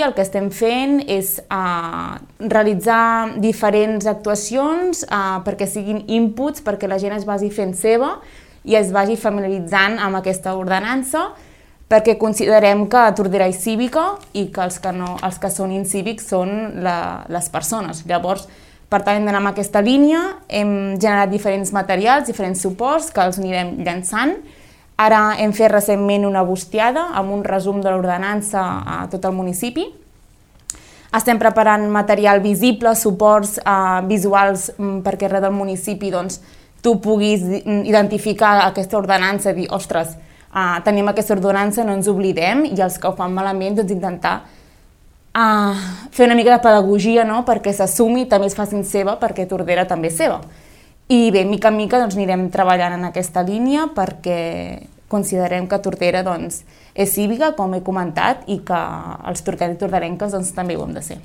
el que estem fent és realitzar diferents actuacions perquè siguin inputs, perquè la gent es vagi fent seva i es vagi familiaritzant amb aquesta ordenança, perquè considerem que Tordera és cívica i que els que són incívics són les persones. Llavors, per tant, hem d'anar en aquesta línia, hem generat diferents materials, diferents suports que els anirem llançant. Ara hem fet recentment una bustiada amb un resum de l'ordenança a tot el municipi. Estem preparant material visible, suports visuals perquè arreu del municipi tu puguis identificar aquesta ordenança i dir, ostres, tenim aquesta ordenança, no ens oblidem, i els que ho fan malament intentar fer una mica de pedagogia perquè s'assumi, també es facin seva, perquè Tordera també és seva. I bé, mica en mica anirem treballant en aquesta línia perquè considerem que Tordera és cívica, com he comentat, i que els torquencs i torderenques també ho hem de ser.